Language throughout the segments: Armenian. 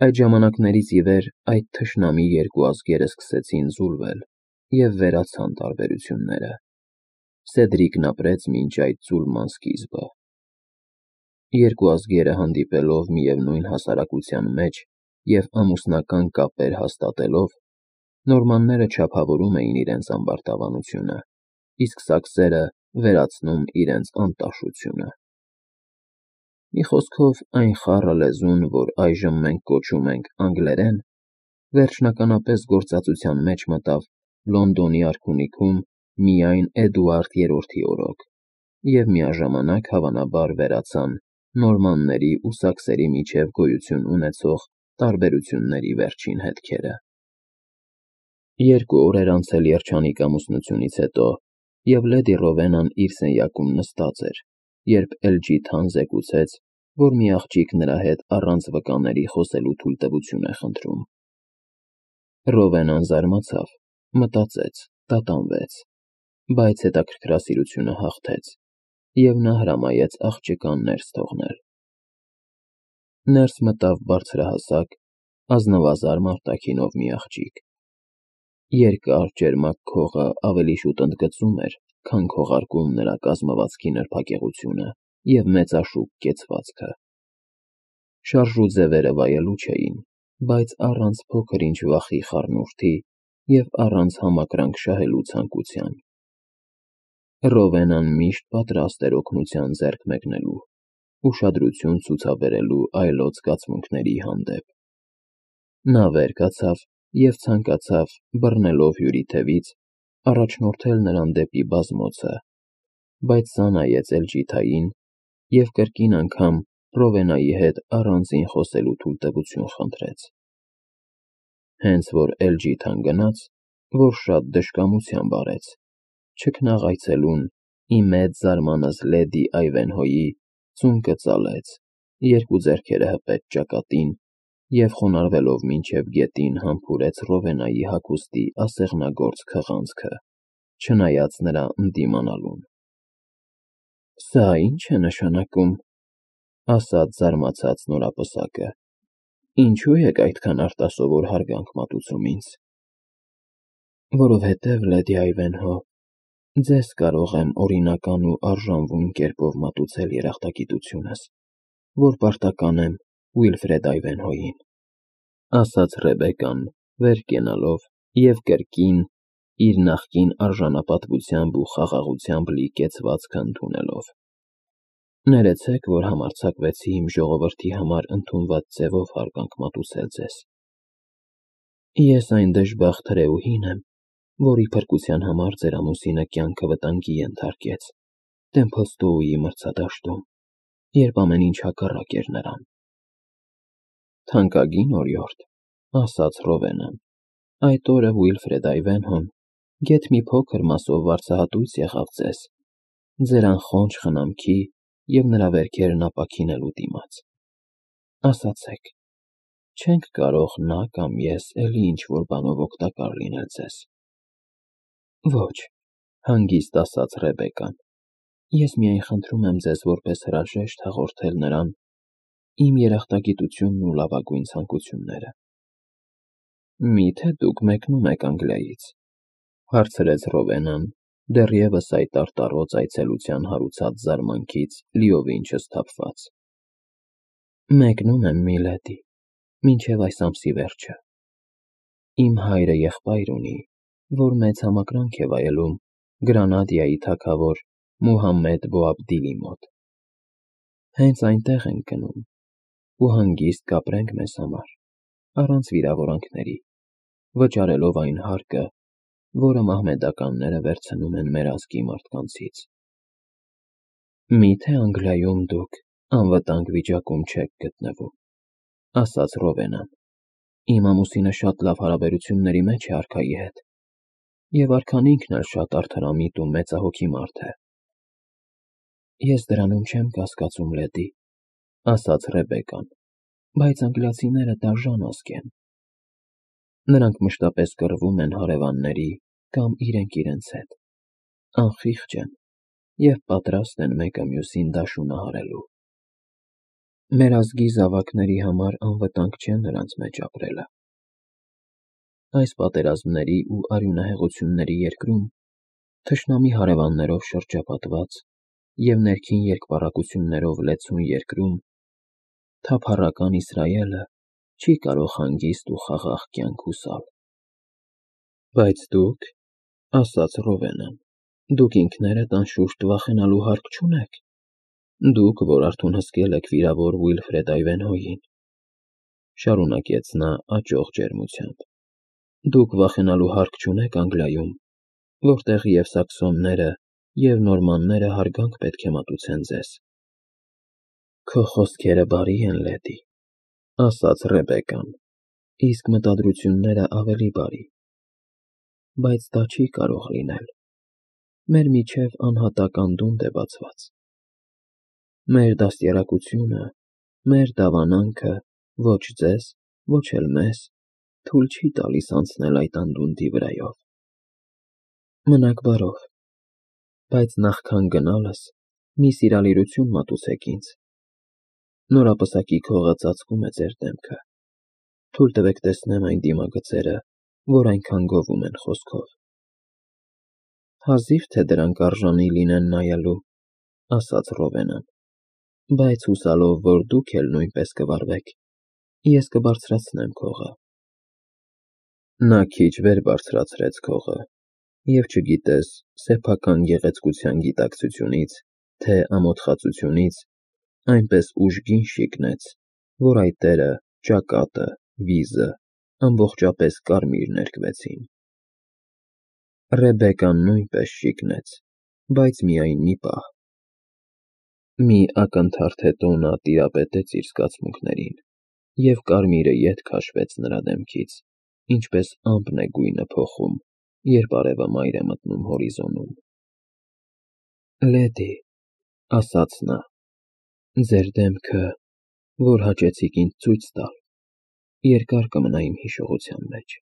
Այդ ժամանակներից ի վեր այդ թշնամի երկու ազգերը սկսեցին զուլվել և վերացան տարբերությունները։ Սեդրիկն ապրեց մինչ այդ զուլման սկիզբը։ Երկու ազգերը հանդիպելով միևնույն հասարակության մեջ և ամուսնական կապեր հաստատելով, նորմանները չափավորում էին իրենց ամբարտավանությունը, իսկ սակսերը վերացնում իրենց անտաշությունը։ Մի խոսքով, այն խառը լեզուն, որ այժմ մենք կոչում ենք անգլերեն, վերջնականապես գործածության մեջ մտավ Լոնդոնի արքունիքում միայն Էդուարդ III-ի օրոք, և միաժամանակ հավանաբար վերացան նորմանների ու սակսերի միջև գոյություն ունեցող տարբերությունների վերջին հետքերը։ 2 օր էր անցել երջանիկ ամուսնությունից հետո, և լեդի Ռովենան իր սենյակում նստած էր, երբ Էլջիթան զեկուցեց, որ մի աղջիկ նրա հետ առանց վկաների խոսելու թույլտվություն է խնդրում։ Ռովենան զարմացավ, մտածեց, տատանվեց, բայց հետաքրքրասիրությունը հաղթեց, և նա հրամայեց աղջկան ներս թողնել։ Ներս մտավ բարձրահասակ, ազնվազարմ արտաքինով մի աղջիկ։ Երկար ճերմակ քողը ավելի շուտ ընդգծում էր, քան քողարկում նրա կազմվածքի նրբագեղությունը և մեծաշուք կեցվածքը։ Շարժու ձևերը վայելուչ էին, բայց առանց փոքր-ինչ վախի խառնուրդի և առանց համակրանք շահելու ցանկության։ Ռովենան միշտ պատրաստ էր օգնության ձեռք մեկնելու, ուշադրություն ցուցաբերելու այլոց զգացմունքների հանդեպ։ Նա վեր կացավ և ցանկացավ, բռնելով հյուրի թևից, առաջնորդել նրան դեպի բազմոցը, բայց սա նայեց Էլջիթային և կրկին անգամ Ռովենայի հետ առանձին խոսելու թույլտվություն խնդրեց։ Հենց որ Էլջիթան գնաց, որ շատ դժկամությամբ արեց, չքնաղ այցելուն, ի մեծ զարմանս լեդի Այվենհոյի, ծունկը ծալեց, երկու ձեռքերը հպեց ճակատին և խոնարհվելով մինչև գետին համբուրեց Ռովենայի հագուստի ասեղնագործ քղանցքը, չնայած նրա ընդդիմանալուն։ «Սա ի՞նչ է նշանակում,» ասաց զարմացած նորապսակը, «ինչու եք այդքան արտասովոր հարգանք մատուցում ինձ»։ «Որովհետև, լեդի Այվենհո, ձեզ կարող եմ օրինական ու արժանվուն կերպով մատուցել երախտագիտությունս, որ պարտական եմ Ուիլֆրեդ Այվենհոյին», ասաց Ռեբեկկան, վեր կենալով և կրկին իր նախկին արժանապատվությամբ ու խաղաղությամբ լի կեցվածքը ընդունելով։ «Ներեցեք, որ համարձակվեցի իմ ժողովրդի համար ընդունված ձևով հարգանք մատուցել ձեզ։ Ես այն դժբախտ հրեուհին եմ, որի փրկության համար ձեր ամուսինը կյանքը վտանգի ենթարկեց Թեմփլստոուի մրցադաշտում, երբ ամեն ինչ հակառակ էր նրան»։ «Թանկագին օրիորդ», ասաց Ռովենան, «այդ օրը Ուիլֆրեդ Այվենհոն գեթ մի փոքր մասով վարձահատույց եղավ ձեզ, ձեր անխոնջ խնամքի և նրա վերքերն ապաքինելու դիմաց։ Ասացեք, չե՞նք կարող նա կամ ես էլի ինչ-որ բանով օգտակար լինել ձեզ»։ «Ոչ», հանգիստ ասաց Ռեբեկկան, «ես միայն խնդրում եմ ձեզ որպես հրաժեշտ հաղորդել նրան իմ երախտագիտությունն ու լավագույն ցանկությունները»։ «Մի՞թե դուք մեկնում եք Անգլիայից,» հարցրեց Ռովենան, դեռևս այդ արտառոց այցելության հարուցած զարմանքից լիովին չսթափված։ «Մեկնում եմ, միլեդի, մինչև այս ամսի վերջը։ Իմ հայրը եղբայր ունի, որ մեծ համակրանք է վայելում Գրանադայի թագավոր Մուհամմեդ Բոաբդիլի մոտ։ Հենց այնտեղ ենք գնում ու հանգիստ կապրենք մեզ համար, առանց վիրավորանքների, վճարելով այն հարկը, որը մահմեդականները վերցնում են մեր ազգի մարդկանցից»։ «Մի՞թե Անգլիայում դուք անվտանգ վիճակում չեք գտնվում», ասաց Ռովենան։ «Իմ ամուսինը շատ լավ հարաբերությունների մեջ է արքայի հետ, և արքան ինքն էլ շատ արդարամիտ ու մեծահոգի մարդ է»։ «Ես դրանում չեմ կասկածում, լեդի», ասաց Ռեբեկկան, «բայց անգլիացիները դաժան ազգ են։ Նրանք մշտապես կռվում են հարևանների կամ իրենք իրենց հետ, անխիղճ են և պատրաստ են մեկը մյուսին դաշունահարելու»։ Մեր ազգի զավակների համար անվտանգ չէ նրանց մեջ ապրելը։ Այս պատերազմների ու արյունահեղությունների երկրում, թշնամի հարևաններով շրջապատված և ներքին երկպառակություններով լեցուն երկրում, թափառական Իսրայելը չի կարող հանգիստ ու խաղաղ կյանք հուսալ։ Բայց դուք, ասաց Ռովենը, դուք ինքներդ անշուշտ վախենալու հարկ չունեք։ Դուք, որ արթուն հսկել եք վիրավոր Ուիլֆրեդ Այվենհոյին, շարունակեց նա աճող ջերմությամբ, դուք վախենալու հարկ չունեք Անգլիայում, որտեղ և սաքսոնները, և նորմանները հարգանք պետք է մատուցեն ձեզ։ Քո խոսքերը բարի են, լեդի, ասաց Ռեբեկան, իսկ մտադրությունները ավելի բարի, բայց դա չի կարող լինել։ Մեր միջև անհատական դունդ է բացված։ Մեր դաստիարակությունը, մեր դավանանքը ոչ ձեզ, ոչ էլ մեզ թույլ չի տալիս անցնել այդ անդունդի վրայով։ Մնաք բարով, բայց նախքան գնալս մի սիրալիրություն մատուցեք ինձ։ Նորապսակի քողը ծածկում է ձեր դեմքը։ Թույլ տվեք տեսնեմ այն դիմագծերը, որ այնքան գովում են խոսքով։ Հազիվ թե դրանք արժանի լինեն նայելու, ասաց Ռովենան, բայց հուսալով, որ դուք էլ նույնպես կվարվեք, ես կբարձրացնեմ քողը։ Նա քիչ վեր բարձրացրեց քողը, և չգիտես սեփական գեղեցկության գիտակցությունից, թե ամոթխածությունից, այնպես ուժգին շիկնեց, որ այդ տերը, ճակատը, վիզը ամբողջապես կարմիր ներկվեցին։ Ռեբեկան նույնպես շիկնեց, բայց միայն մի պահ։ Մի ակնթարթ հետո նա տիրապետեց իր զգացմունքներին, և կարմիրը ետ քաշվեց նրա դեմքից, ինչպես ամպն է գույնը փոխում, երբ արևը մայր է մտնում հորիզոնում։ Լեդի, ասաց նա, ձեր դեմքը, որ հաճեցիք ինձ ցույց տալ, երկար կմնա իմ հիշողության մեջ։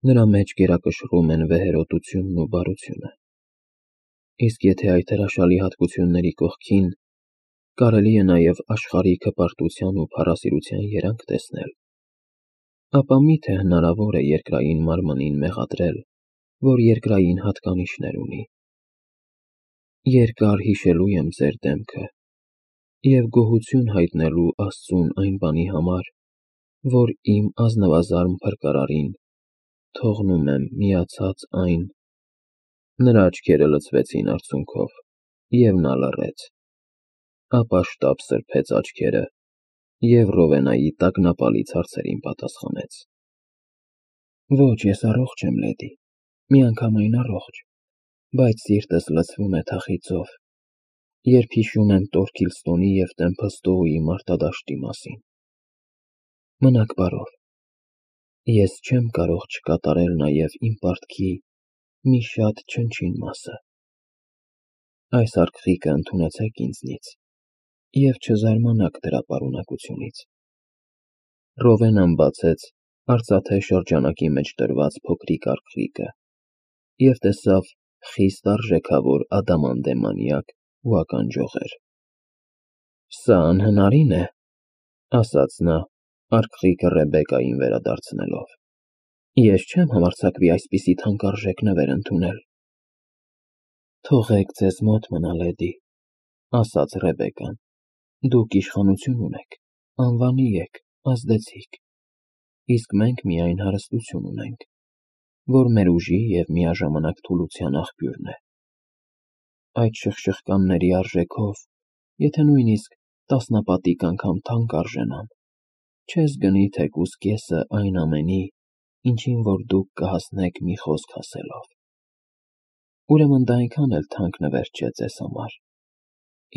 Նրա մեջ գերակշռում են վեհերոտությունն ու բարությունը։ Իսկ եթե այդ հրաշալի հատկությունների կողքին կարելի է նաև աշխարհիկ հպարտության ու փառասիրության երանգ տեսնել, ապա մի՞թե հնարավոր է երկրային մարմնին մեղադրել, որ երկրային հատկանիշներ ունի։ Երկար հիշելու եմ ձեր դեմքը և գոհություն հայտնելու Աստծուն այն բանի համար, որ իմ ազնվազարմ փրկարարին թողնում եմ միացած այն… Նրա աչքերը լցվեցին արցունքով, և նա լռեց, ապա շտապ սրբեց աչքերը և Ռովենայի տագնապալից հարցերին պատասխանեց. Ոչ, ես առողջ եմ, լեդի, միանգամայն առողջ, բայց սիրտս լցվում է թախիծով, երբ հիշում եմ Տորքիլստոնի և Տեմփլստոուի մարտադաշտի մասին։ Մնաք բարով, ես չեմ կարող չկատարել նաև իմ պարտքի մի շատ չնչին մասը։ Այս արկղիկը ընդունեցեք ինձնից և չզարմանաք դրա պարունակությունից։ Ռովենան բացեց արծաթե շրջանակի մեջ դրված փոքրիկ արկղիկը և տեսավ խիստ արժեքավոր ադամանդե մանյակ ու ականջողեր։ Սա անհնարին է, ասաց նա, արկղիկը Ռեբեկային վերադարձնելով։ Ես չեմ համարձակվի այսպիսի թանկարժեք նվեր ընդունել։ Թողեք ձեզ մոտ մնա, լեդի, ասաց Ռեբեկան, դուք իշխանություն ունեք, անվանի եք, ազդեցիկ, իսկ մենք միայն հարստություն ունենք, որ մեր ուժի և միաժամանակ թուլության աղբյուրն է։ Այդ շխշխկանների արժեքով, եթե նույնիսկ տասնապատիկ անգամ թանկ արժենան, չես գնի թեկուզ կեսը այն ամենի, ինչին որ դուք կհասնեք մի խոսք ասելով։ Ուրեմն դա այնքան էլ թանկ նվեր չէ ձեզ համար,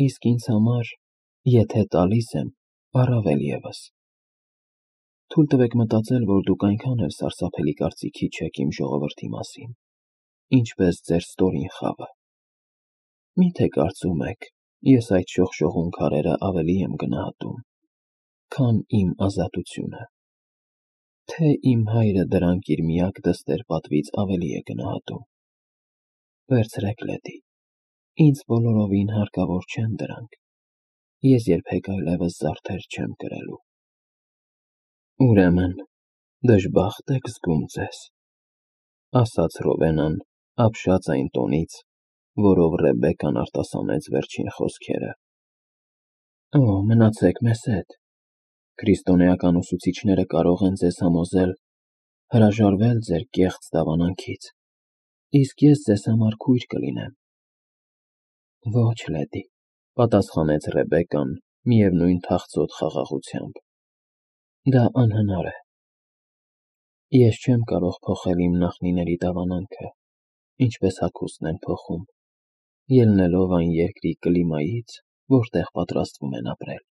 իսկ ինձ համար, եթե տալիս եմ, առավել ևս։ Թույլ տվեք մտածել, որ դուք այնքան էլ սարսափելի կարծիքի չեք իմ ժողովրդի մասին, ինչպես ձեր ստորին խավը։ Մի՞թե կարծում եք, ես այդ շողշողուն քարերը ավելի եմ գնահատում, քան իմ ազատությունը, թե իմ հայրը դրանք իր միակ դստեր պատվից ավելի է գնահատում։ Վերցրեք, լեդի, ինձ բոլորովին հարկավոր չեն դրանք։ ես երբեք այլևս զարդեր չեմ կրելու։ Ուրեմն, դժբախտ եք զգում ձեզ, ասաց Ռովենան, ապշած այն տոնից, որով Ռեբեկկան արտասանեց վերջին խոսքերը։ Օ, մնացեք մեզ հետ։ Քրիստոնեական ուսուցիչները կարող են ձեզ համոզել հրաժարվել ձեր կեղծ դավանանքից, իսկ ես ձեզ համար քույր կլինեմ։ Ոչ, լեդի, պատասխանեց Ռեբեկկան միևնույն թախծոտ խաղաղությամբ։ Դա անհնար է։ Ես չեմ կարող փոխել իմ նախնիների դավանանքը, ինչպես հագուստն են փոխում, ելնելով այն երկրի կլիմայից, որտեղ պատրաստվում են ապրել։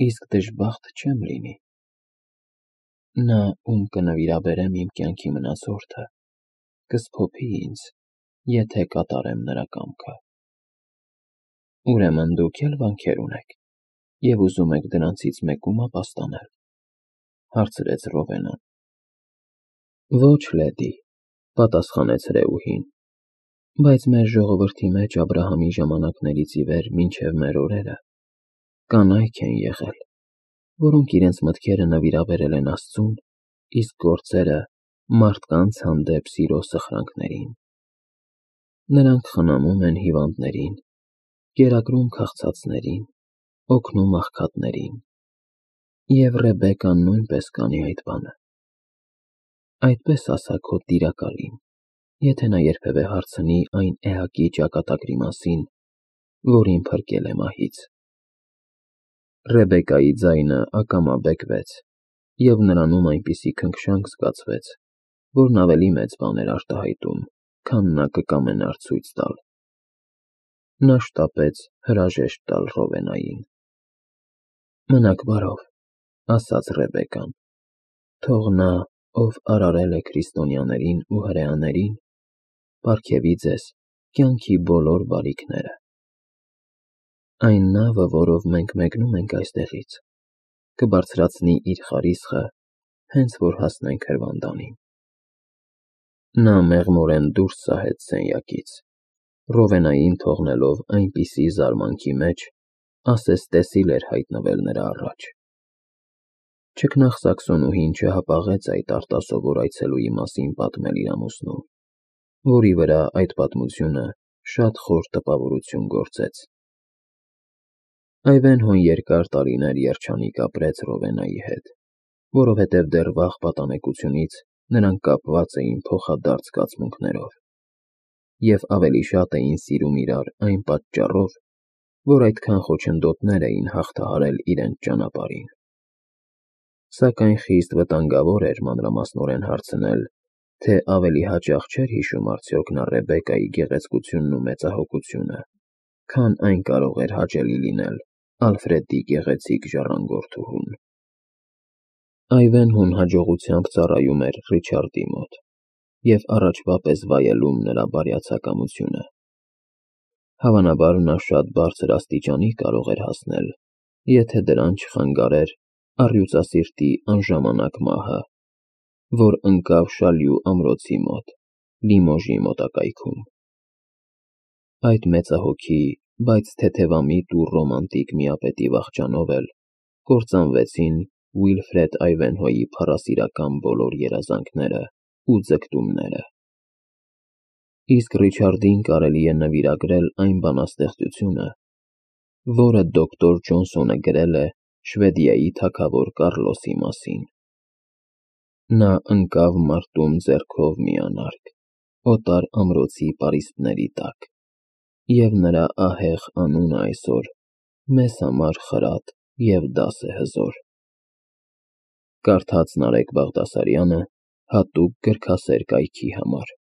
Իսկ դժբախտ չեմ լինի։ Նա, ում կնվիրաբերեմ իմ կյանքի մնացորդը, կսփոփի ինձ, եթե կատարեմ նրա կամքը։ Ուրեմն դուք էլ վանքեր ունեք և ուզում եք դրանցից մեկում ապաստանել, հարցրեց Ռովենան։ Ոչ, լեդի, պատասխանեց հրեուհին, բայց մեր ժողովրդի մեջ Աբրահամի ժամանակներից ի վեր մինչև մեր օրերը կանայք են եղել, որոնք իրենց մտքերը նվիրաբերել են Աստծուն, իսկ գործերը մարդկանց հանդեպ սիրո սխրանքներին։ Նրանք խնամում են հիվանդներին, կերակրում քաղցածներին, օգնում աղքատներին, և Ռեբեկկան նույնպես կանի այդ բանը։ Այդպես ասա քո տիրակալին, եթե նա երբևէ հարցնի այն էակի ճակատագրի մասին, որին փրկել է մահից։ Ռեբեկկայի ձայնը ակամա բեկվեց, և նրանում այնպիսի քնքշանք զգացվեց, որն ավելի մեծ բան էր արտահայտում, քան նա կկամենար ցույց տալ։ Նա շտապեց հրաժեշտ տալ Ռովենային։ Մնաք բարով, ասաց Ռեբեկկան, թող նա, ով արարել է քրիստոնյաներին ու հրեաներին, պարգևի ձեզ կյանքի բոլոր բարիքները։ Այն նավը, որով մենք մեկնում ենք այստեղից, կբարձրացնի իր խարիսխը, հենց որ հասնենք հրվանդանին։ Նա մեղմորեն դուրս սահեց սենյակից, Ռովենային թողնելով այնպիսի զարմանքի մեջ, ասես տեսիլ էր հայտնվել նրա առաջ։ Չքնաղ չհապաղեց այդ արտասովոր այցելուի մասին պատմել իր ամուսնուն, որի վրա այդ պատմությունը շատ խոր տպավորություն գործեց։ Այվենհոն երկար տարիներ երջանիկ ապրեց Ռովենայի հետ, որովհետև դեռ վաղ պատանեկությունից նրանք կապված էին փոխադարձ զգացմունքներով, և ավելի շատ էին սիրում իրար այն պատճառով, որ այդքան խոչընդոտներ էին հաղթահարել իրենց ճանապարհին։ Սակայն խիստ վտանգավոր էր մանրամասնորեն հարցնել, թե ավելի հաճախ չէր հիշում արդյոք նա Ռեբեկկայի գեղեցկությունն ու մեծահոգությունը, քան այն կարող էր հաճելի լինել Ալֆրեդի գեղեցիկ ժառանգորդուհուն։ Այվենհոն հաջողությամբ ծառայում էր Ռիչարդի մոտ և առաջվա պես վայելում նրա բարյացակամությունը։ Հավանաբար նա շատ բարձր աստիճանի կարող էր հասնել, եթե դրան չխանգարեր առյուծասիրտի անժամանակ մահը, որ ընկավ Շալյու ամրոցի մոտ, Լիմոժի մոտակայքում։ Այդ մեծահոգի, բայց թեթևամիտ ու ռոմանտիկ միապետի վախճանով էլ կործանվեցին Ուիլֆրեդ Այվենհոյի փառասիրական բոլոր երազանքները ու ձգտումները։ Իսկ Ռիչարդին կարելի է նվիրագրել այն բանաստեղծությունը, որը դոկտոր Ջոնսոնը գրել է Շվեդիայի թագավոր Կառլոսի մասին։ Նա ընկավ մարտում ձեռքով մի անարգ, օտար ամրոցի պարիսպների տակ, և նրա ահեղ անունը այսօր մեզ համար խրատ և դաս է հզոր։ Կարդաց Նարեկ Բաղդասարյանը հատուկ գրքասեր կայքի համար։